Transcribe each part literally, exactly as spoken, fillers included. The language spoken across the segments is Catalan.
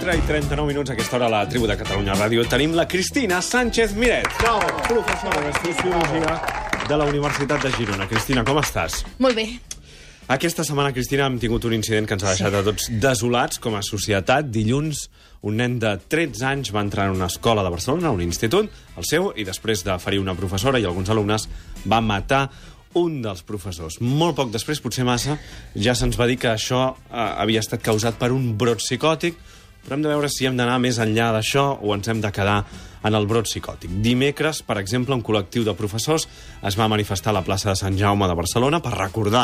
quatre i trenta-nou minuts, a aquesta hora a la tribu de Catalunya Ràdio. Tenim la Cristina Sánchez Miret, professora de Sociologia de la Universitat de Girona. Cristina, com estàs? Molt bé. Aquesta setmana, Cristina, hem tingut un incident que ens ha deixat a tots desolats com a societat. Dilluns, un nen de tretze anys va entrar en una escola de Barcelona, un institut, el seu, i després de ferir una professora i alguns alumnes, va matar un dels professors. Molt poc després, potser massa, ja se'ns va dir que això eh, havia estat causat per un brot psicòtic, però hem de veure si hem d'anar més enllà d'això o ens hem de quedar en el brot psicòtic. Dimecres, per exemple, un col·lectiu de professors es va manifestar a la plaça de Sant Jaume de Barcelona per recordar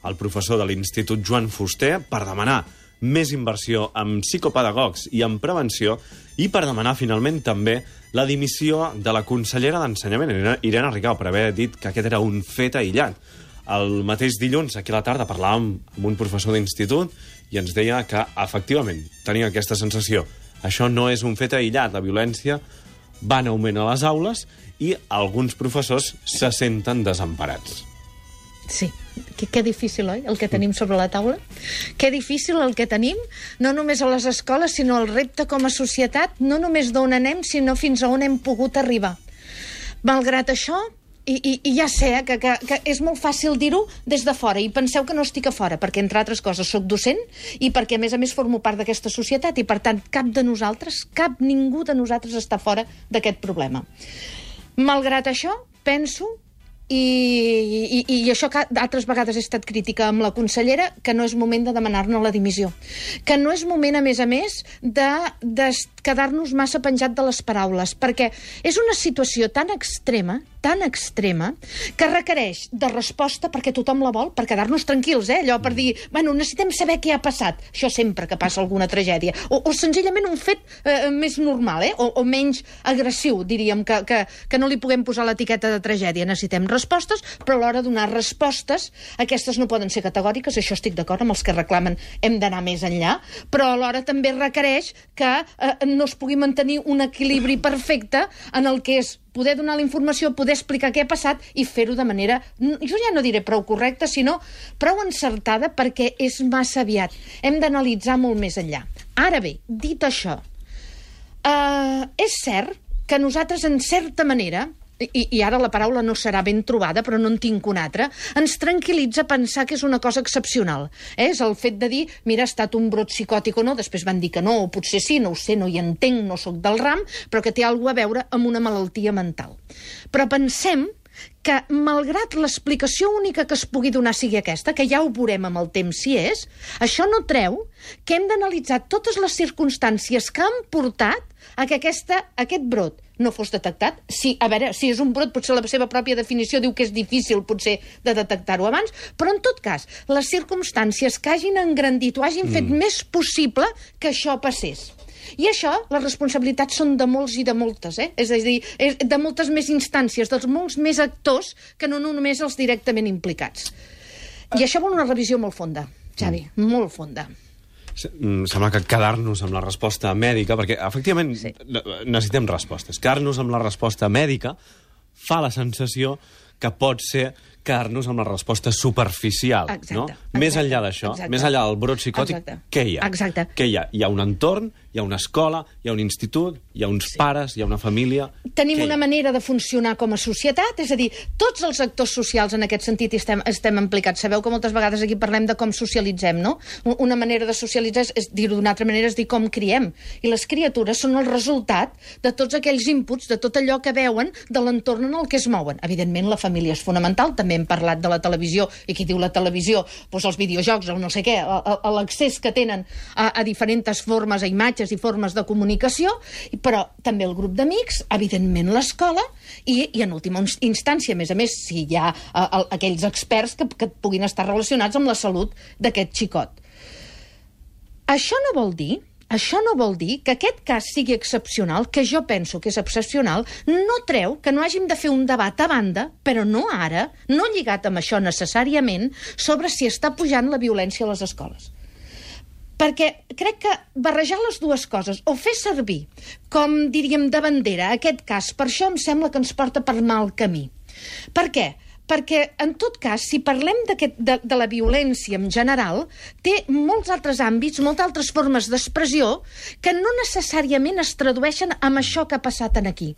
el professor de l'Institut Joan Fuster, per demanar més inversió en psicopedagogs i en prevenció, i per demanar finalment també la dimissió de la consellera d'Ensenyament, Irene Rigau, per haver dit que aquest era un fet aïllat. El mateix dilluns, aquí a la tarda, parlàvem amb un professor d'institut i ens deia que, efectivament, tenia aquesta sensació. Això no és un fet aïllat, la violència va en augment a les aules i alguns professors se senten desemparats. Sí, que, que difícil, oi?, el que tenim sobre la taula. Que difícil el que tenim, no només a les escoles, sinó el repte com a societat, no només d'on anem, sinó fins a on hem pogut arribar. Malgrat això, i, i, i ja sé que, que, que és molt fàcil dir-ho des de fora, i penseu que no estic a fora, perquè, entre altres coses, sóc docent, i perquè, a més a més, formo part d'aquesta societat, i, per tant, cap de nosaltres, cap ningú de nosaltres està fora d'aquest problema. Malgrat això, penso... I, i, i això que altres vegades he estat crítica amb la consellera, que no és moment de demanar-ne la dimissió, que no és moment, a més a més, de, de quedar-nos massa penjat de les paraules, perquè és una situació tan extrema, tan extrema, que requereix de resposta perquè tothom la vol, per quedar-nos tranquils, eh? Allò per dir, bueno, necessitem saber què ha passat. Això sempre que passa alguna tragèdia. O, o senzillament un fet eh, més normal, eh? O, o menys agressiu, diríem, que, que, que no li puguem posar l'etiqueta de tragèdia. Necessitem respostes, però a l'hora de donar respostes, aquestes no poden ser categòriques, això estic d'acord amb els que reclamen, hem d'anar més enllà, però alhora també requereix que eh, no es pugui mantenir un equilibri perfecte en el que és poder donar la informació, poder explicar què ha passat i fer-ho de manera, jo ja no diré prou correcta, sinó prou encertada, perquè és massa aviat. Hem d'analitzar molt més enllà. Ara bé, dit això, eh, és cert que nosaltres, en certa manera, I, i ara la paraula no serà ben trobada, però no en tinc una altra, ens tranquil·litza pensar que és una cosa excepcional. Eh? És el fet de dir, mira, ha estat un brot psicòtic o no, després van dir que no, o potser sí, no ho sé, no hi entenc, no sóc del ram, però que té alguna a veure amb una malaltia mental. Però pensem que, malgrat l'explicació única que es pugui donar sigui aquesta, que ja ho veurem amb el temps si és, això no treu que hem d'analitzar totes les circumstàncies que han portat a que aquesta, aquest brot no fos detectat. Si, a veure, si és un brot, potser la seva pròpia definició diu que és difícil, potser, de detectar-ho abans, però, en tot cas, les circumstàncies que hagin engrandit o hagin mm. fet més possible que això passés. I això, les responsabilitats són de molts i de moltes, eh? És a dir, de moltes més instàncies, dels molts més actors que no només els directament implicats. I això vol una revisió molt fonda, Xavi, mm. molt fonda. Sembla que quedar-nos amb la resposta mèdica, perquè, efectivament, sí. necessitem respostes. Quedar-nos amb la resposta mèdica fa la sensació que pot ser quedar-nos amb la resposta superficial. Exacte, no? exacte, més enllà d'això, més enllà del brot psicòtic, exacte. Què hi ha? Exacte. Què hi ha? Hi ha un entorn, hi ha una escola, hi ha un institut, hi ha uns sí. pares, hi ha una família... Tenim una manera de funcionar com a societat, és a dir, tots els actors socials en aquest sentit estem, estem implicats. Sabeu que moltes vegades aquí parlem de com socialitzem, no? Una manera de socialitzar, és, és dir-ho d'una altra manera, és dir com criem. I les criatures són el resultat de tots aquells inputs, de tot allò que veuen de l'entorn en el que es mouen. Evidentment, la família és fonamental, també hem parlat de la televisió, i qui diu la televisió, doncs els videojocs, el no sé què, l'accés que tenen a, a diferents formes, a imatges i formes de comunicació, però també el grup d'amics, evidentment l'escola, i, i en última instància, a més a més, si hi ha a, a, aquells experts que, que puguin estar relacionats amb la salut d'aquest xicot. Això no vol dir Això no vol dir que aquest cas sigui excepcional, que jo penso que és excepcional, no treu que no hàgim de fer un debat a banda, però no ara, no lligat amb això necessàriament, sobre si està pujant la violència a les escoles. Perquè crec que barrejar les dues coses, o fer servir, com diríem, de bandera, aquest cas, per això em sembla que ens porta per mal camí. Per què? perquè, en tot cas, si parlem de, de la violència en general, té molts altres àmbits, moltes altres formes d'expressió que no necessàriament es tradueixen amb això que ha passat aquí.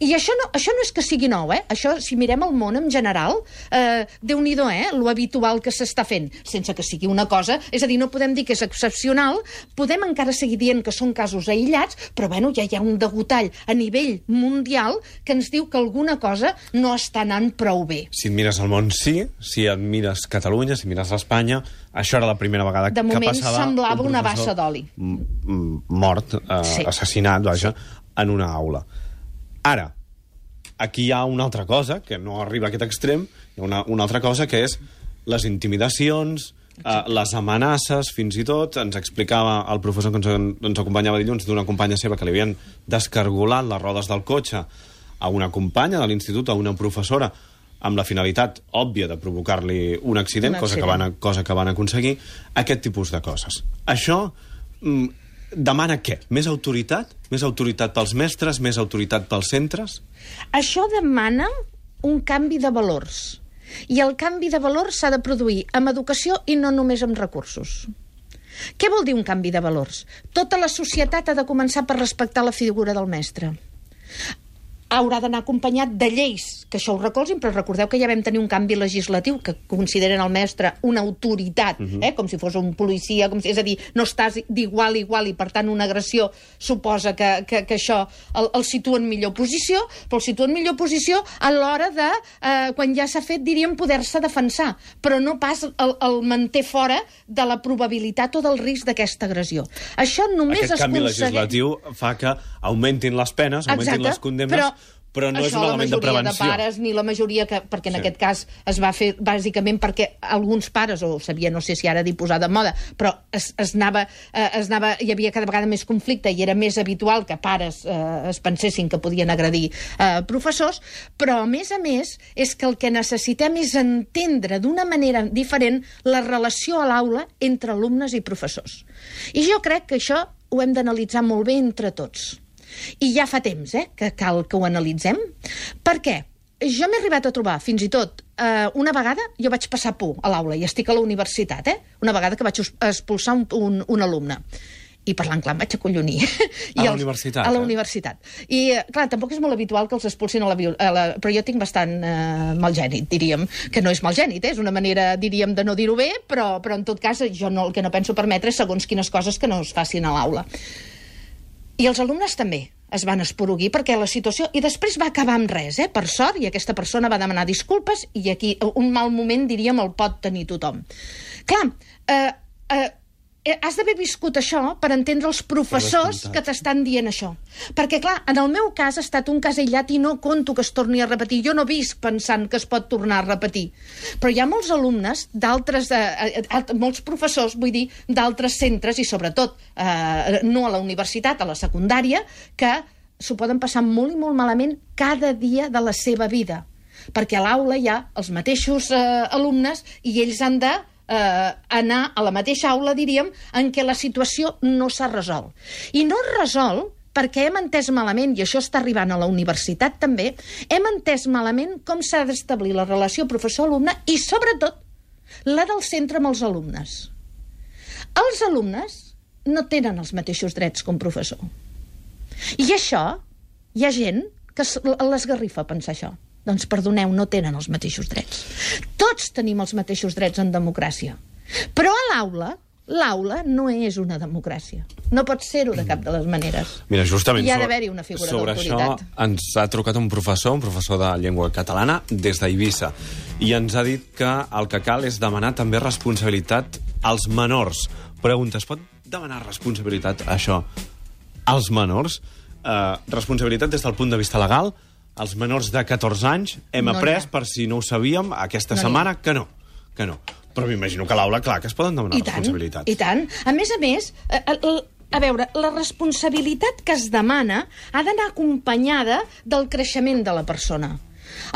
I això no, això no és que sigui nou, eh? Això, si mirem el món en general, eh, Déu-n'hi-do, eh? Lo habitual que s'està fent, sense que sigui una cosa... És a dir, no podem dir que és excepcional, podem encara seguir dient que són casos aïllats, però, bueno, ja hi ha un degotall a nivell mundial que ens diu que alguna cosa no està anant prou bé. Si et mires el món, sí. Si et mires Catalunya, si mires Espanya, això era la primera vegada que passava... De moment semblava un una bassa d'oli. Mort, eh, sí. assassinat, vaja, en una aula. Ara, aquí hi ha una altra cosa, que no arriba a aquest extrem, hi ha una, una altra cosa que és les intimidacions, eh, les amenaces, fins i tot. Ens explicava el professor que ens, ens acompanyava dilluns d'una companya seva que li havien descargolat les rodes del cotxe a una companya de l'institut, a una professora, amb la finalitat òbvia de provocar-li un accident, un accident. Cosa, que van, cosa que van aconseguir, aquest tipus de coses. Això... Mm, demana què? Més autoritat? Més autoritat pels mestres? Més autoritat pels centres? Això demana un canvi de valors. I el canvi de valors s'ha de produir amb educació i no només amb recursos. Què vol dir un canvi de valors? Tota la societat ha de començar per respectar la figura del mestre. Haurà d'anar acompanyat de lleis, que això ho recolzin, però recordeu que ja vam tenir un canvi legislatiu que consideren el mestre una autoritat, uh-huh. eh? Com si fos un policia, com si, és a dir, no estàs d'igual a igual i, per tant, una agressió suposa que, que, que això el, el situa en millor posició, però el situa en millor posició a l'hora de, eh, quan ja s'ha fet, diríem, poder-se defensar, però no pas el, el manté fora de la probabilitat o del risc d'aquesta agressió. Això només Aquest es canvi aconsegueix... legislatiu fa que augmentin les penes, augmentin Exacte, les condemnes, però... però no això, és un element de prevenció. La majoria de pares, ni la majoria que... Perquè en sí. aquest cas es va fer bàsicament perquè alguns pares, o sabia, no sé si ara dir posar de moda, però es, es, anava, eh, es anava... Hi havia cada vegada més conflicte i era més habitual que pares eh, es pensessin que podien agredir eh, professors, però a més a més és que el que necessitem és entendre d'una manera diferent la relació a l'aula entre alumnes i professors. I jo crec que això ho hem d'analitzar molt bé entre tots. I ja fa temps, eh, que cal que ho analitzem. Per què? Jo m'he arribat a trobar, fins i tot, eh, una vegada jo vaig passar por a l'aula, i estic a la universitat, eh? Una vegada que vaig expulsar un, un, un alumne. I parlant clar, em vaig acollonir. A la universitat, A la eh? universitat. I, clar, tampoc és molt habitual que els expulsin a la... A la però jo tinc bastant eh, malgènit, diríem. Que no és malgènit, eh? És una manera, diríem, de no dir-ho bé, però, però en tot cas jo no, el que no penso permetre és segons quines coses que no es facin a l'aula. I els alumnes també es van esporuguir perquè la situació... I després va acabar amb res, eh? Per sort, i aquesta persona va demanar disculpes i aquí un mal moment, diríem, el pot tenir tothom. Clar, eh, eh, has d'haver viscut això per entendre els professors que t'estan dient això. Perquè, clar, en el meu cas ha estat un cas aïllat i no conto que es torni a repetir. Jo no visc pensant que es pot tornar a repetir. Però hi ha molts alumnes d'altres, eh, molts professors, vull dir, d'altres centres, i sobretot eh, no a la universitat, a la secundària, que s'ho poden passar molt i molt malament cada dia de la seva vida. Perquè a l'aula hi ha els mateixos eh, alumnes i ells han de Eh, anar a la mateixa aula, diríem, en què la situació no s'ha resolt. I no es resol perquè hem entès malament, i això està arribant a la universitat també, hem entès malament com s'ha d'establir la relació professor-alumne i, sobretot, la del centre amb els alumnes. Els alumnes no tenen els mateixos drets com professor. I això, hi ha gent que l'esgarrifa pensar això. Doncs, perdoneu, no tenen els mateixos drets. Tots tenim els mateixos drets en democràcia. Però a l'aula, l'aula no és una democràcia. No pot ser-ho de cap de les maneres. Mira, justament hi ha d'haver-hi una figura d'autoritat. Sobre això ens ha trucat un professor, un professor de llengua catalana, des d'Eivissa, i ens ha dit que el que cal és demanar també responsabilitat als menors. Pregunta, es pot demanar responsabilitat a això als menors? Eh, responsabilitat des del punt de vista legal? Els menors de catorze anys hem no après, per si no ho sabíem, aquesta no setmana que no, que no. Però m'imagino que a l'aula, clar, que es poden demanar I tant, responsabilitats. I tant. A més a més, a, a, a veure, la responsabilitat que es demana ha d'anar acompanyada del creixement de la persona.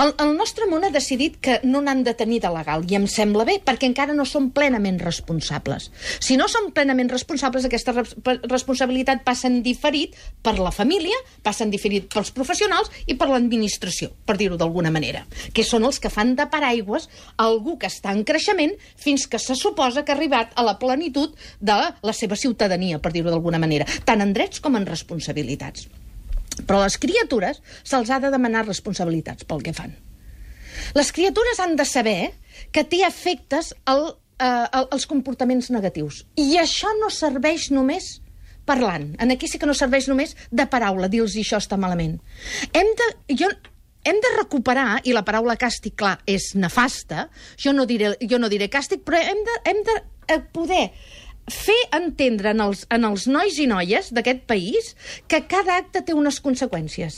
El, el nostre món ha decidit que no n'han de tenir de legal, i em sembla bé, perquè encara no són plenament responsables. Si no són plenament responsables, aquesta res responsabilitat passa en diferit per la família, passa en diferit pels professionals i per l'administració, per dir-ho d'alguna manera, que són els que fan de paraigües algú que està en creixement fins que se suposa que ha arribat a la plenitud de la seva ciutadania, per dir-ho d'alguna manera, tant en drets com en responsabilitats. Però a les criatures se'ls ha de demanar responsabilitats pel que fan. Les criatures han de saber que té efectes el, eh, els comportaments negatius. I això no serveix només parlant. En aquí sí que no serveix només de paraula, dir-los això està malament. Hem de... Jo, hem de recuperar, i la paraula càstig, clar, és nefasta, jo no diré, jo no diré càstig, però hem de, hem de poder fer entendre en els, en els nois i noies d'aquest país que cada acte té unes conseqüències.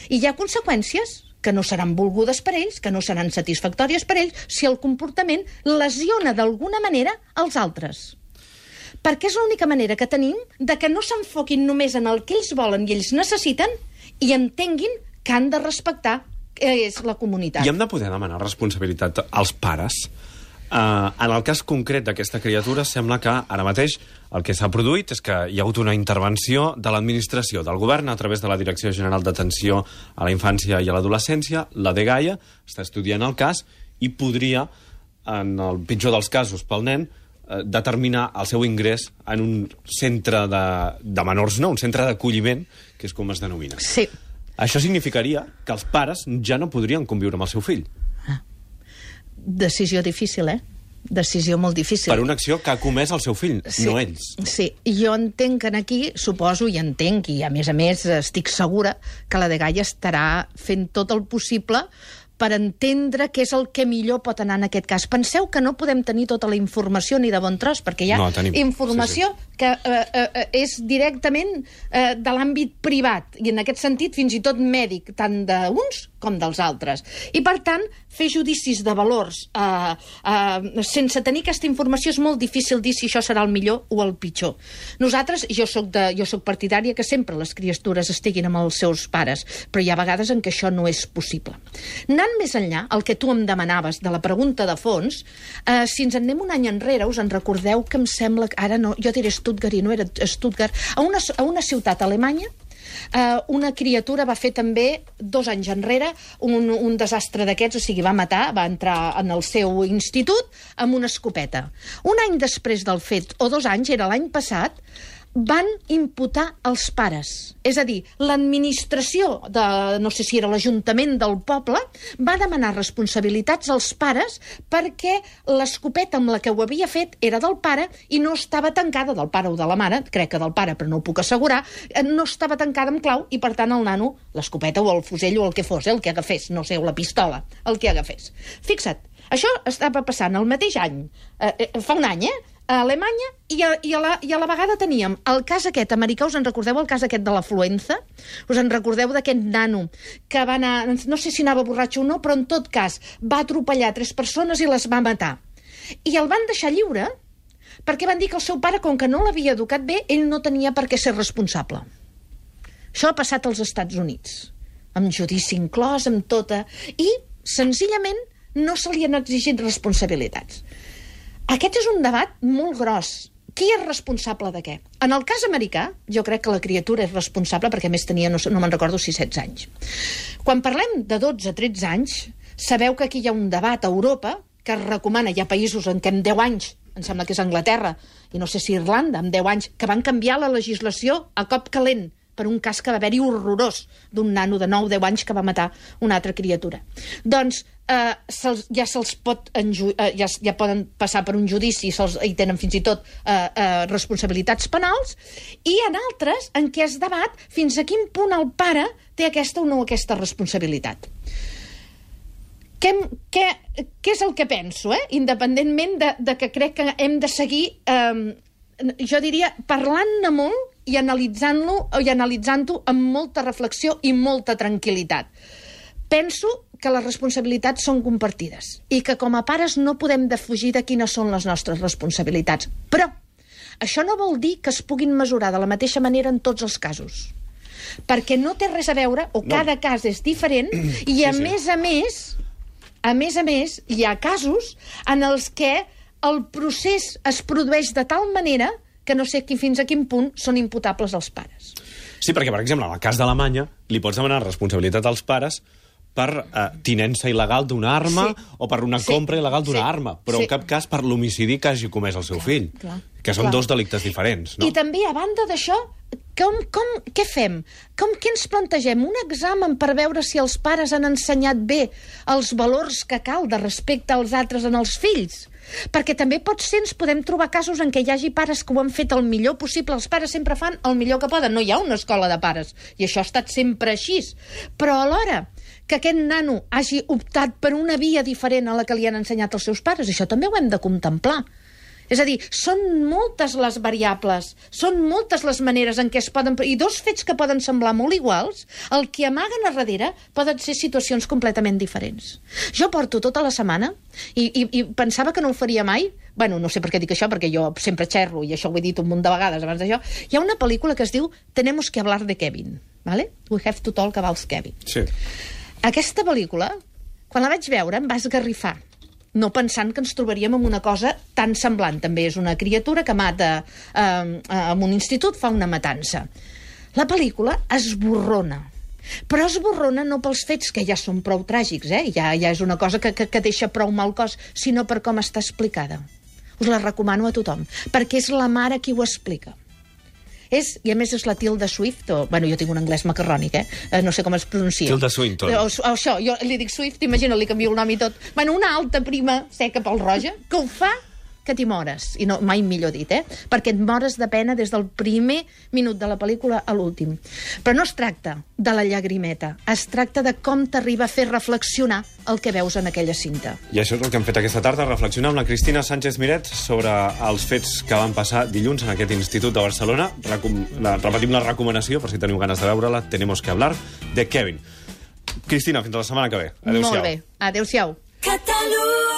I hi ha conseqüències que no seran volgudes per ells, que no seran satisfactòries per ells, si el comportament lesiona d'alguna manera els altres. Perquè és l'única manera que tenim de que no s'enfoquin només en el que ells volen i ells necessiten i entenguin que han de respectar que és la comunitat. I hem de poder demanar responsabilitat als pares. Uh, en el cas concret d'aquesta criatura sembla que ara mateix el que s'ha produït és que hi ha hagut una intervenció de l'administració, del govern, a través de la Direcció General d'Atenció a la Infància i a l'Adolescència, la dgaia, està estudiant el cas i podria, en el pitjor dels casos pel nen, eh, determinar el seu ingrés en un centre de, de menors, no, un centre d'acolliment, que és com es denomina. Sí. Això significaria que els pares ja no podrien conviure amb el seu fill. Decisió difícil, eh? Decisió molt difícil. Per una acció que ha comès el seu fill, sí, no ells. Sí, jo entenc que aquí, suposo i entenc, i a més a més estic segura que la dgaia estarà fent tot el possible per entendre què és el que millor pot anar en aquest cas. Penseu que no podem tenir tota la informació ni de bon tros, perquè hi ha no, tenim. informació sí, sí. que eh, eh, és directament eh, de l'àmbit privat, i en aquest sentit fins i tot mèdic, tant d'uns com dels altres. I, per tant, fer judicis de valors eh, eh, sense tenir aquesta informació és molt difícil dir si això serà el millor o el pitjor. Nosaltres, jo soc, de, jo soc partidària que sempre les criatures estiguin amb els seus pares, però hi ha vegades en què això no és possible. Anant més enllà, el que tu em demanaves de la pregunta de fons, eh, si ens en anem un any enrere, us en recordeu que em sembla que, ara no, jo diré Stuttgart i no era Stuttgart, a una, a una ciutat alemanya, Uh, una criatura va fer també, dos anys enrere, un, un desastre d'aquests, o sigui, va matar, va entrar en el seu institut amb una escopeta. Un any després del fet, o dos anys, era l'any passat, van imputar els pares. És a dir, l'administració, de, no sé si era l'Ajuntament del poble, va demanar responsabilitats als pares perquè l'escopeta amb la que ho havia fet era del pare i no estava tancada, del pare o de la mare, crec que del pare, però no ho puc assegurar, no estava tancada amb clau i, per tant, el nano, l'escopeta o el fusell o el que fos, eh, el que agafés, no sé, o la pistola, el que agafés. Fixa't, això estava passant el mateix any, eh, fa un any, eh? A Alemanya, i a, i, a la, i a la vegada teníem el cas aquest americà. Us en recordeu el cas aquest de l'afluenza? Us en recordeu d'aquest nano que va anar, no sé si anava borratxo o no, però en tot cas va atropellar tres persones i les va matar. I el van deixar lliure perquè van dir que el seu pare, com que no l'havia educat bé, ell no tenia per què ser responsable. Això ha passat als Estats Units, amb judici inclòs, amb tota... I, senzillament, no se li han exigit responsabilitats. Aquest és un debat molt gros. Qui és responsable de què? En el cas americà, jo crec que la criatura és responsable perquè més tenia, no, no me'n recordo si setze anys. Quan parlem de dotze a tretze anys, sabeu que aquí hi ha un debat a Europa que es recomana, hi ha països en què en deu anys, em sembla que és Anglaterra, i no sé si Irlanda, en deu anys, que van canviar la legislació a cop calent per un cas que va haver-hi horrorós d'un nano de nou o deu anys que va matar una altra criatura. Doncs eh, se'ls, ja se'ls pot enju eh, ja, ja poden passar per un judici, se'ls, i tenen fins i tot eh, eh, responsabilitats penals, i en altres en què es debat fins a quin punt el pare té aquesta o no aquesta responsabilitat. Què, què, què és el que penso, eh? Independentment de, de que crec que hem de seguir, eh, jo diria, parlant-ne molt i analitzant-lo i analitzant-ho amb molta reflexió i molta tranquil·litat. Penso que les responsabilitats són compartides i que com a pares no podem defugir de quines són les nostres responsabilitats. Però això no vol dir que es puguin mesurar de la mateixa manera en tots els casos. perquè no té res a veure, o No. cada cas és diferent, i a Sí, sí. més a més, a més a més, hi ha casos en els que el procés es produeix de tal manera que no sé qui, fins a quin punt són imputables els pares. Sí, perquè, per exemple, en el cas d'Alemanya, li pots demanar responsabilitat als pares per eh, tinença il·legal d'una arma Sí. o per una Sí. compra il·legal d'una Sí. arma, però Sí. en cap cas per l'homicidi que hagi comès el seu Clar, fill, clar, que són clar. dos delictes diferents, no? I també, a banda d'això, com, com, què fem? Com, què ens plantegem? Un examen per veure si els pares han ensenyat bé els valors que cal de respecte als altres en els fills? Perquè també pot ser, ens podem trobar casos en què hi hagi pares que ho han fet el millor possible. Els pares sempre fan el millor que poden. No hi ha una escola de pares, i això ha estat sempre així. Però alhora que aquest nano hagi optat per una via diferent a la que li han ensenyat els seus pares, això també ho hem de contemplar. És a dir, són moltes les variables, són moltes les maneres en què es poden... I dos fets que poden semblar molt iguals, el que amaguen a darrere poden ser situacions completament diferents. Jo porto tota la setmana i, i, i pensava que no ho faria mai. Bueno, no sé per què dic això, perquè jo sempre xerro, i això ho he dit un munt de vegades abans d'això. Hi ha una pel·lícula que es diu Tenemos que hablar de Kevin, ¿vale? We have to talk about Kevin. Sí. Aquesta pel·lícula, quan la vaig veure, em va esgarrifar, no pensant que ens trobaríem amb una cosa tan semblant. També és una criatura que mata eh, en un institut, fa una matança. La pel·lícula esborrona, però esborrona no pels fets, que ja són prou tràgics, eh? ja, ja és una cosa que, que, que deixa prou mal cos, sinó per com està explicada. Us la recomano a tothom, perquè és la mare qui ho explica. És, i a més és la Tilda Swift, o, bueno, jo tinc un anglès macarrònic, eh? eh no sé com es pronuncia. Tilda Swinton. O, o això, jo li dic Swift, imagina, li canvio el nom i tot. Bueno, una alta prima seca pel roja, que ho fa que t'hi mores. I no, mai millor dit, eh? Perquè et mores de pena des del primer minut de la pel·lícula a l'últim. Però no es tracta de la llagrimeta, es tracta de com t'arriba a fer reflexionar el que veus en aquella cinta. I això és el que hem fet aquesta tarda, reflexionar amb la Cristina Sánchez Miret sobre els fets que van passar dilluns en aquest institut de Barcelona. Recom la, repetim la recomanació, per si teniu ganes de veure-la, Tenemos que hablar de Kevin. Cristina, fins a la setmana que ve. Adéu-siau. Molt bé, adéu-siau. Catalunya.